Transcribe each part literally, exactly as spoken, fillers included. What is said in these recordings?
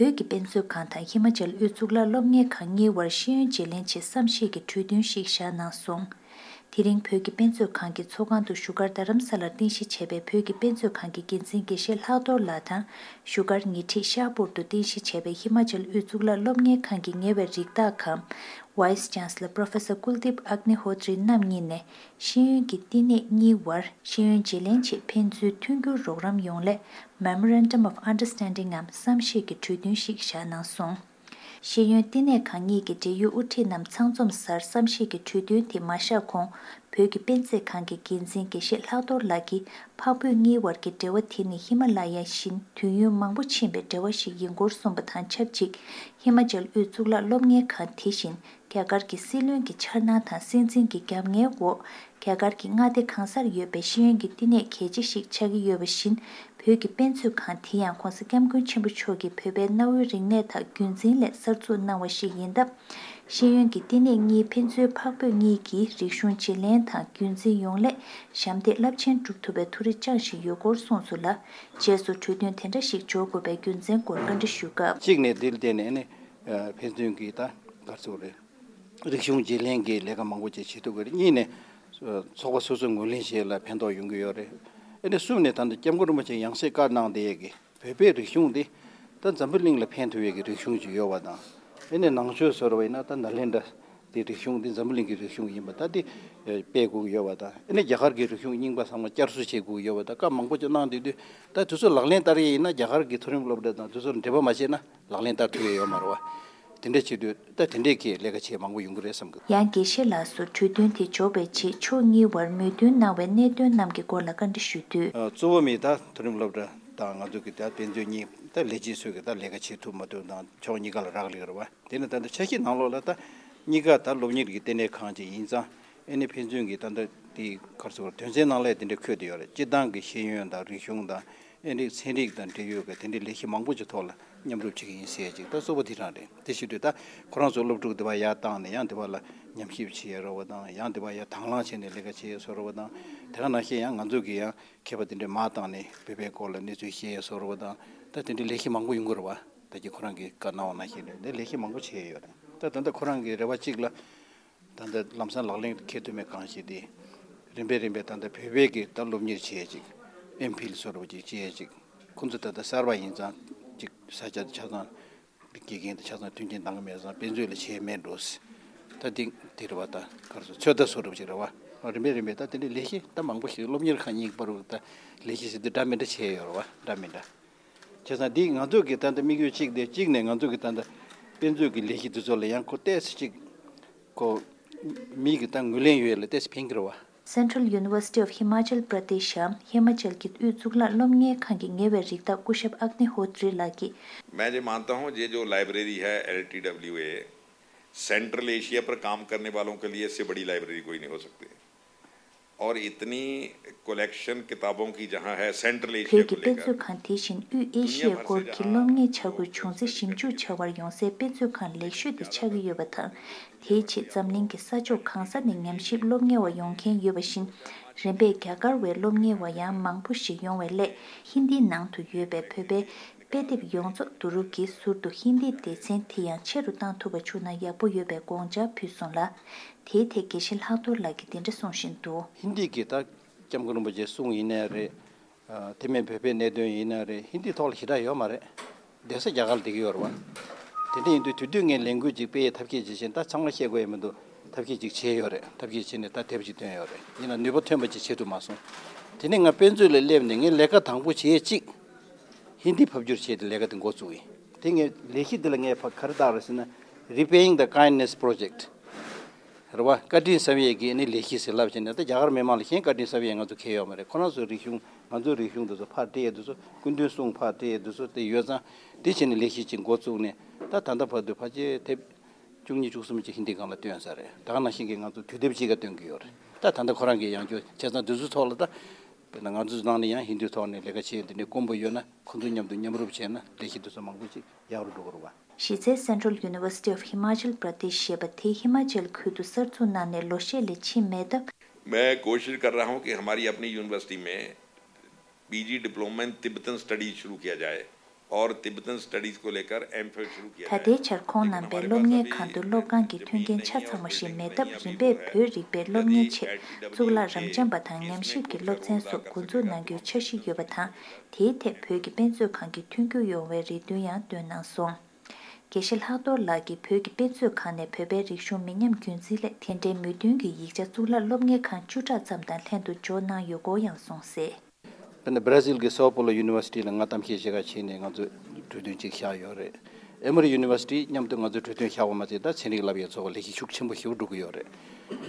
བོད་ཀྱི་དཔེ་མཛོད་ཁང་དང་ཧི་མ་ཅལ་དབུས་གཙུག་ལག་སློབ་གཉེར་ཁང་གཉིས་བར་ཤེས་ཡོན་བརྗེ་ལེན་ཆེད་བསམ་ཤེས་ཀྱི་གྲོས་མཐུན་ཞིག་བཞག་གནང་སོང་། དེ་རིང་བོད་ཀྱི་དཔེ་མཛོད་ཁང་གི་ཚོགས་ཁང་དུ་བཞུགས་སྒར་རྡ་རམ་ས་ལར་རྟེན་གཞི་བྱས་པའི་བོད་ཀྱི་དཔེ་མཛོད་ཁང་གི་འགན་འཛིན་དགེ་བཤེས་ལྷག་རྡོར་ལགས་དང་། བཞུགས་སྒར་ཉེ་འཁྲིས་ཤར་པུར་དུ་རྟེན་གཞི་བྱས་པའི་ཧི་མ་ཅལ་དབུས་གཙུག་ལག་སློབ་གཉེར་ཁང་གི་ཉེ་བའི་རིགས་བདག་གམ། Vice Chancellor Professor Kuldeep Agnihotri རྣམ་གཉིས་ནས། ཤེས་ཡོན་གྱི་བསྟི་གནས་གཉིས་བར་ཤེས་ཡོན་བརྗེ་ལེན་ཆེད་ཕན་ཚུན་མཐུན་འགྱུར་རོགས་རམ་ཡོང་སླད། Memorandum of Understanding ངམ་བསམ་ཤེས་ཀྱི་གྲོས་མཐུན་ཞིག་བཞག་གནང་སོང་། ཤེས་ཡོན་བསྟི་གནས་ཁང་གཉིས་ཀྱི་འབྲེལ་ཡོད་དབུ་ཁྲིད་རྣམས་ཚང་འཛོམས་སར་བསམ་ཤེས་ཀྱི་གྲོས་མཐུན་དེ་མ་བཞག་གོང་། བོད་ཀྱི་དཔེ་མཛོད་ཁང་གི་འགན་འཛིན་དགེ་བཤེས་ལྷག་རྡོར་ལགས་ཀྱིས། འཕགས་བོད་གཉིས་བར་གྱི་འབྲེལ་བ་དེ་ནི་ཧི་མ་ལ་ཡ་བཞིན་དུས་ཡུན་མང་པོ་ཕྱིན་པའི་འབྲེལ་བ་ཞིག་ཡིན་སྐོར་གསུངས་པ་དང་ཆབས་ཅིག་ཧི་མ་ཅལ་དབུས་གཙུག་ལག་སློབ་གཉེར་ཁང་དེ་བཞིན། རྒྱ་གར་གྱི་སྲིད་བློན་གྱི་འཆར་སྣང་དང་སྲིད་འཛིན་གྱི་རྒྱབ་གཉེར་འོག་རྒྱ་གར་གྱི་མངའ་སྡེ་གང་སར་ཡོད་པའི་ཤེས་ཡོན་གྱི་བསྟི་གནས་གལ་ཆེ་ཞིག་ཆགས་ཀྱི་ཡོད་པ་བཞིན། བོད་ཀྱི་དཔེ་མཛོད་ཁང་དེ་ཡང་༧གོང་ས་༧སྐྱབས་མགོན་ཆེན་པོ་མཆོག་གིས་བོད་པའི་གནའ་བོའི་རིག་གནས་དང་རྒྱུན་འཛིན་སླད་གསར་འཛུགས་གནང་བ་ཞིག་ཡིན་སྟབས། ཤེས་ཡོན་གྱི་བསྟི་གནས་གཉིས་ཕན་ཚུན་འཕགས་བོད་གཉིས་ཀྱི་རིག་གཞུང་བརྗེ་ལེན་དང་རྒྱུན་འཛིན་ཡོང་སླད་ཞབས་འདེགས་རླབས་ཆེན་སྒྲུབ་ཐུབ་པའི་ཐུགས་རེ་བཅངས་བཞིན་ཡོད་སྐོར་གསུངས་སོང་ལ། རྗེས་སུ་གྲོས་མཐུན་དེ་འདྲ་ཞིག་འཇོག་དགོས་པའི་རྒྱུ་མཚན་སྐོར་བཀའ་འདྲི་ཞུས་སྐབས། གཅིག་ནས་འདིར་བརྟེན་ནས་ནི་ཕན་ཚུན་གྱི་ད་ག་རེ་ཟེར་དགོས་རེད། རིག་གཞུང་བརྗེ་ལེན་གྱི་ལས་ཀ་མང་པོ་ཅིག་བྱེད་ཐུབ་ཀྱི་རེད། གཉིས་ནས་ཚོགས་པ་སོ་སོ་ངོས་ལེན་བྱེད་ཡས་ལ་ཕན་ཐོགས་ཡོང་གི་ཡོད་རེད། ཨ་ནི་གསུམ་ནས་ད་ལྟ་སྐྱབས་མགོན་རིན་པོ་ཆེ་ཡང་སེ་བཀའ་གནང་བསྡད་ཡས་ཀྱི་བོད་པའི་རིག་གཞུང་འདི་ད་འཛམ་བུ་གླིང་ལ་ཕན་ཐོགས་ཡས་ཀྱི་རིག་གཞུང་ཅིག་ཡོད་པ་དང་། ཨ་ནི་ནང་ཆོས་ཟེར་བ་ཡིན་ན་ད་ནཱ་ལེནྡྲ་དེ་རིག་གཞུང་འདི་འཛམ་བུ་གླིང་གི་རིག་གཞུང་ཡིན་པ་ད་དེ་སྤེལ་དགོས་ཀྱི་ཡོད་པ་དང་། ཨ་ནི་རྒྱ་གར་གྱི་རིག་གཞུང་རྙིང་པ་ཚང་མ་བསྐྱར་གསོ་བྱེད་དགོས་ཀྱི་ཡོད་པ་དང་། བཀའ་མང་པོ་ཅིག་གནང་བསྡད་དུས་ད་དེ་ཚོ་ལག་ལེན་བསྟར་ཡས་ཡིན་ན་རྒྱ་གར་གྱི་མཐོ་རིམ་སློབ་གྲྭ་དང་དེ་ཚོར་འབྲེལ་བ་མ་བྱས་ན། ལག་ལེན་བསྟར་ཐུབ་ཡས་ཡོད་མ་རེད་བ། དེ་འདྲ་བྱེད་དུས་ད་དེ་འདྲས་ཀྱི་ལས་ཀ་བྱེད་མང་པོ་ཡོང་གི་རེད་བསམ་གི། ཡང་དགེ་བཤེས་ལགས་སུ་གྲོས་མཐུན་དེ་འཇོག་པའི་ཆེད་ཕྱོགས་གཉིས་བར་མོས་མཐུན་གནང་བའི་གནད་དོན་རྣམས་ཀྱི་སྐོར་ལ་བཀའ་འདྲི་ཞུ་དུས། གཙོ་བོ་མི་ད་མཐོ་རིམ་སློབ་གྲྭ་དང་ང་ཚོ་གི་ད་དཔེ་མཛོད་གཉིས་ད་ལས་བྱེད་ཚོས་གི་ད་ལས་ཀ་བྱེད་ཐུབ་མ་ཐུབ་དང་ཕྱོགས་གཉིས་ཀ་ལ་རག་ལས་རེད་བ། དེ་ནི་ད་ལྟ་འཆར་གཞི་ནང་ལོགས་ལ་ད་གཉིས་ཀ་ད་སློབ་གཉེར་གྱི་ལྟེ་གནས་ཁང་ཅིག་ཡིན་ཙང་ཨེ་ནི་ཕན་ཚུན་གྱི་ད་ལྟ་དེ་གར་སོ་དོན་ཚན་ནང་ལ་དེ་འདྲ་འཁོད་དེ་ཡོད་རེད། སྤྱིར་བཏང་གི་ཤེས་ཡོན་དང་རིག་གཞུང་དང་། ཨེ་འདྲའི་ཚན་རིག་དང་འབྲེལ་ཡོད་ཀྱི་དེ་འདྲའི་ལས་གཞི་མང་པོ་ཅིག་ཐོག་ལ་མཉམ་རུབ་བྱེད་ཀྱི་ཡིན་ཟེར་ཅིག་ད་གཙོ་བོ་དེ་རང་རེད། དེ་བྱེད་དུས་ད་ཁོ་རང་ཚོ་སློབ་ཕྲུག་དེ་བ་ཡར་བཏང་ནས་ཡང་དེ་བ་ལ་ཉམས་ཞིབ་བྱེད་ཡ་རོགས་པ་དང་། ཡང་དེ་བ་ཡར་དང་བླངས་བྱས་ནས་ལས་ཀ་བྱེད་ཡ་བཟོ་རོགས་པ་དང་། དེ་ག་ནང་བཞིན་ཡང་ང་ཚོ་གི་ཡང་མཁས་པ་དེ་འདྲའི་མར་བཏང་ནས་བོད་པའི་སྐོར་ལ་གནས་ཚུལ་བཤད་ཡ་བཟོ་རོགས་པ་དང་། ད་དེ་འདྲའི་ལས་གཞི་མང་པོ་ཡོང་གི་རེད་བ། ད་ཀྱི་ཁོ་རང་གི་བཀའ་གནང་བ་ནང་བཞིན་རེད། འདི་ལས་གཞི་མང་པོ་བྱས་ཡོད་རེད། ད་ད་ལྟ་ཁོ་རང་གི་རེ་བ་གཅིག་ལ། ད་ལྟ་ལམ་སང་ལག་ལེན་འཁེལ་ཐུབ་མེད་གང་ཞིག་དེ། རིམ་པས་རིམ་པས་ད་ལྟ་བོད་པའི་གི་ད་སློབ་གཉེར་བྱེད་ཅིག་ཨེམ་ཕིལ་བཟོ་འདྲ་ཅིག་བྱེད་ཅིག་ཁོང་ཚོ་ད་ལྟ་གསར་པ་ཡིན་ཙང་ཅིག་ས་ཆ་ཆ་ཚང་དགེ་རྒན་དང་ཆ་ཚང་མཐུན་རྐྱེན་འདང་གི་མེད་ཙང་དཔེ་མཛོད་ལ་བྱས་མེད་འགྲོ། ད་དེ་དེ་རེད་བ། ད་གར་སོ་ཚོད་ལྟ་བཟོ་འདྲ་ཅིག་རེད་བ། རིམ་པས་རིམ་པས་ད་དེ་འདྲའི་ལས་གཞི་ད་མང་པོ་ཞིག་སློབ་གཉེར་ཁང་གཉིས་བར་དུ་ད་ལས་གཞི་ཟེར་དུས་འདྲ་མི་འདྲ་བྱས་ཡོད་རེད་བ། འདྲ་མི་འདྲ། བྱས་ཙང་འདི་ང་ཚོ་གི་ད་ལྟ་དམིགས་ཡུལ་གཅིག་དེ་གཅིག་ནས་ང་ཚོ་གི་ད་ལྟ་དཔེ་མཛོད་ཀྱི་ལས་གཞི་འདི་ཚོ་ལ་ཡང་ཁོ་ཏོག་ཙམ་ཅིག་ཁོ་མི་གི་ད་ངོས་ལེན་ཡོད་ལ་ཏོག་ཙམ་ཕན་གྱི་རེད་བ། Central University of Himachal Pradesh ཡང་ཧི་མ་ཅལ་གྱི་དབུས་གཙུག་ལག་སློབ་གཉེར་ཁང་གི་ཉེ་བའི་རིགས་བདག་སྐུ་ཞབས་ཨག་ནི་ཧོ་ཏྲི་ལགས་ཀྱིས། मैं ये मानता हूँ, ये जो लाइब्रेरी है L T W A, central Asia पर काम करने वालों के लिए इससे बड़ी लाइब्रेरी कोई नहीं हो सकती। और इतनी कलेक्शन किताबों की जहाँ है सेंट्रल एशिया को लेकर, བོད་ཀྱི་དཔེ་མཛོད་ཁང་དེ་བཞིན་དབུས་ཨེ་ཤི་ཡའི་སྐོར་གྱི་སློབ་གཉེར་འཆར་འགོད་བྱུང་ཚེ་ཞིབ་འཇུག་བྱ་བར་ཡོང་སའི་དཔེ་མཛོད་ཁང་ལེགས་ཤོས་དེ་ཆགས་ཀྱི་ཡོད་པ་དང་། དེའི་ཆེད་འཛམ་གླིང་གི་ས་ཕྱོགས་གང་ས་ནས་ཉམས་ཞིབ་སློབ་གཉེར་བ་ཡོང་མཁན་ཡོད་པ་བཞིན། རིམ་པས་རྒྱ་གར་བའི་སློབ་གཉེར་བ་ཡང་མང་པོ་ཞིག་ཡོང་བའི་སླད་ཧིན་དིའི་ནང་དུ་ཡོད་པའི་བོད་པའི་དཔེ་དེབ་ཡོངས་རྫོགས་བསྡུ་རུབ་ཀྱིས་ཟུར་དུ་ཧིན་དིའི་སྡེ་ཚན་དེ་ཡང་ཆེ་རུ་བཏང་ཐུབ་པ་བྱུང་ན་ཡག་པོ་ཡོད་པའི་དགོངས་འཆར་ཕུལ་སོང་ལ། དེའི་ཐད་དགེ་བཤེས་ལྷག་རྡོར་ལགས་ཀྱིས་འདི་འདྲ་གསུང་བཞིན་འདུག་ཧིན་དི་གི་ད་སྐྱབས་མགོན་རིན་པོ་ཆེའི་གསུང་ཡིན་ནའི་རེད། ཨ། དེ་མིན་བོད་པའི་གནད་དོན་ཡིན་ནའི་རེད། ཧིན་དིའི་ཐོག་ལ་ཞེ་དྲག་ཡོད་མ་རེད། བསྡད་ས་རྒྱ་གར་ལ་བསྡད་ཀྱི་ཡོད་རེད་བ། དེ་འདྲ་ཡིན་དུས་དེ་དུས་ངས་ལས་འགུལ་ཅིག་སྤེལ་ཡས་ཐབས་ཤེས་ཅིག་བྱས་ད་ཚང་མ་བཤད་དགོས་ཡས་མི་འདུག་ཐབས་ཤེས་ཅིག་བྱས་ཡོད་རེད། ཐབས་ཤེས་བྱས་ནས་ད་དེབ་ཅིག་བཏོན་ཡོད་རེད། ཡིན་ན་ནུས་པ་ཐོན་པ་ཅིག་བྱེད་ཐུབ་མ་སོང་། དེ་ནས་ང་དཔེ་མཛོད་ལ་སླེབས་ནས་ངས་ལས་ཀ་དང་པོ་བྱས་གཅིག་ཧིན་དི་ཕབ་བསྒྱུར་བྱས་ཏེ་ལས་ཀ་དེ་འགོ་བཙུགས་ཡིན། དེ་ངས་ལས་གཞི་འདི་ལ་ངས་ཕ་ག་རེ་བཏགས་རེད་ཟེར་ན། Repaying the Kindness Project རེད་བ། བཀའ་དྲིན་གསབ་ཡས་ཀྱི་ཨ་ནི་ལས་གཞི་ཟེར་ལབ་བྱས་ནས་ད་རྒྱ་གར་མི་མང་ལ་གཞན་བཀའ་དྲིན་གསབ་ཡས་ང་ཚོ་གལ་ཡོད་མ་རེད། ཁོ་རང་ཚོའི་རིག་གཞུང་ང་ཚོའི་རིག་གཞུང་འདི་ཚོ་ཕར་སྤྲད་ཡས་འདི་ཚོ་སྐུ་མདུན་གསུང་ཕར་སྤྲད་ཡས་འདི་ཚོ་དེ་ཡོད་ཙང་དེ་བྱས་ནས་ལས་གཞི་ཅིག་འགོ་བཙུགས་ནས་ད་ད་ལྟ་བར་དུ་ཕལ་ཆེར་དེབ་བཅུ་གཉིས་བཅུ་གསུམ་ཅིག་ཧིན་དི་སྒང་ལ་བཏོན་ཚར་རེད། ད་ག་ནང་བཞིན་གྱི་ང་ཚོ་དུས་དེབ་ཅིག་ག་བཏོན་གྱི་ཡོད་རེད། ད་ད་ལྟ་ཁོ་རང་གི་ཡང་བསྐྱར་བྱས་ཙང་འདི་ཚོའི་ཐོག་ལ་ད་དཔེར་ན་ང་ཚོའི་ནང་ནས་ཡང་ཧིན་དིའི་ཐོག་ནས་ལས་ཀ་བྱེད་འདི་འདྲའི་དཀོན་པོ་ཡོད་ན་ཁོ་ཚོ་མཉམ་དུ་མཉམ་རུབ་བྱས་ན་ལས་གཞི་འདི་ཚོ་མང་པོ་ཅིག་ཡག་རུ་འགྲོ་གི་རེད་བ། གཞི་རྩའི་Central University of Himachal Pradesh ཞེས་པ་དེ་ཧི་མ་ཅལ་ཁུལ་དུ་གསར་འཛུགས་གནང་ནས་ལོ་ཤས་ལས་ཕྱིན་མེད་སྟབས། मैं कोशिश कर रहा हूं कि हमारी अपनी यूनिवर्सिटी में PG diploma in Tibetan studies शुरू किया जाए। और तिब्बतन स्टडीज को लेकर एमफिल शुरू किया ད जाएगा। ལྟའི་ཆར་ཁོང་རྣམ་པས་སློབ་གཉེར་ཁང་དུ་སློབ་ཁང་གི་མཐུན་རྐྱེན་ཆ་ཚང་བ་ཞིག་མེད་སྟབས། རིམ་པས་བོད་རིག་པའི་སློབ་གཉེར་ཆེད་གཙུག་ལག་རབ་འབྱམས་པ་དང་ཉམས་ཞིབ་ཀྱི་སློབ་ཚན་སོགས་འགོ་འཛུགས་གནང་རྒྱུའི་འཆར་གཞི་ཡོད་པ་དང་། དེའི་ཐད་བོད་ཀྱི་དཔེ་མཛོད་ཁང་གིས་མཐུན་འགྱུར་ཡོང་བའི་རེ་འདུན་ཡང་བཏོན་གནང་སོང་། དགེ་བཤེས་ལྷག་རྡོར་ལགས་ཀྱིས་བོད་ཀྱི་དཔེ་མཛོད་ཁང་ནས་བོད་པའི་རིག་གཞུང་མི་ཉམས་རྒྱུན་འཛིན་སླད་དེ་འབྲེལ་མོས་མཐུན་གྱི་ཡིག་ཆ་གཙུག་ལག་སློབ་གཉེར་ཁང་བཅུ་ཕྲག་ཙམ་དང་ལྷན་དུ་འབྱོར་གནང་ཡོད་སྐོར་ཡང་གསུངས་གསལ། དཔེར་ན་སྦྲ་ཟིལ་གྱི་སའོ་པོ་ལོ་ཡུ་ནི་ཝར་སི་ཊི་ལ་ང་གཏམ་བཤད་བྱེད་ག་ཕྱིན་ནས་ང་ཚོས་གྲོས་མཐུན་ཅིག་བཞག་ཡོད་རེད། ཨེ་མོ་རི་ཡུ་ནི་ཝར་སི་ཊི་མཉམ་དུ་ང་ཚོས་གྲོས་མཐུན་བཞག་པ་མ་ཟད། ད་ཚན་རིག་ལབ་ཡས་ཚོགས་པ་ལས་གཞི་ཤུགས་ཆེན་པོ་ཞིག་འགྲོ་གི་ཡོད་རེད།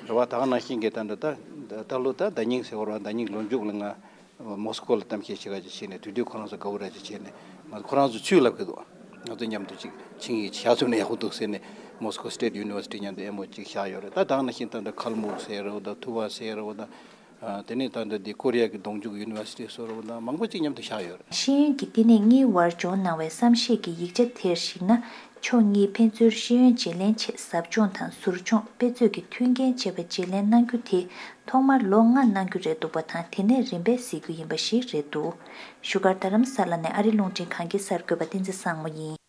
རེད་བ། ད་ག་ནང་བཞིན་གྱི་ད་ད་ད་ད་ལོ་ད་ཟླ་ཉིན་ཟེར་བ་རེད་བ། ཟླ་ཉིན་གྱི་ལོ་མཇུག་ལ་ང་མོ་སི་ཀོ་ལ་གཏམ་བཤད་བྱེད་ག་ཅིག་ཕྱིན་ནས། དེ་དུས་ཁོ་རང་ཚོ་དགའ་བོ་ར་ཅིག་བྱས་ནས། ང་ཁོ་རང་ཚོ་ཚུར་ལབ་གི་འདུག་ང་ཚོ་མཉམ་དུ་ཅིག་ཆིངས་ཡིག་ཅིག་བཞག་ཐུབ་ན་ཡག་པོ་འདུག་ཟེར་ནས། མོ་སི་ཀོ་སི་ཊེཊ་ཡུ་ནི་ཝར་སི་ཊི་མཉམ་དུ་ཨེམ་ཨོ་ཡུ་ཅིག་བཞག་ཡོད་རེད། ད་ད་ག་ནང་བཞིན་ད་ད་ཁལ་མུག་ཟེར་རེད་བ། ད་ཐུ་བ་ཟེར་རེད་བ། ད་ཨ་དེ་ནས་ད་ད་འདི་ཀོ་རི་ཡ་གི་གདོང་མཇུག་ཡུ་ནི་ཝར་སི་ཊི་ཟེར་རེད་བ། ད་མང་པོ་ཅིག་མཉམ་དུ་བཞག་ཡོད་རེད། ཤེས་ཡོན་གྱི་བསྟི་གནས་གཉིས་དབར་འབྱོར་གནང་བའི་བསམ་ཤེས་ཀྱི་ཡིག་ཆ་དེར་གཞིགས་ན། ཕྱོགས་གཉིས་ཕན་ཚུན་ཤེས་ཡོན་བརྗེ་ལེན་ཆེད་ཟབ་སྦྱོང་དང་ཟུར་སྦྱོང་། དཔེ་མཛོད་ཀྱི་མཐུན་རྐྱེན་བཅས་པ་བརྗེ་ལེན་གནང་རྒྱུ་དེ་ཐོག་མར་ལོ་ལྔ་གནང་རྒྱུ་རེད་འདུག་པ་དང་། དེ་ནས་རིམ་པས་གཟིགས་རྒྱུ་ཡིན་པ་ཞིག་རེད་འདུག་བཞུགས་སྒར་རྡ་རམ་ས་ལ་ནས་ཨ་རི་རླུང་འཕྲིན་ཁང་གི་གསར་འགོད་པ་བསྟན་འཛིན་བཟང་མོ་ཡིན།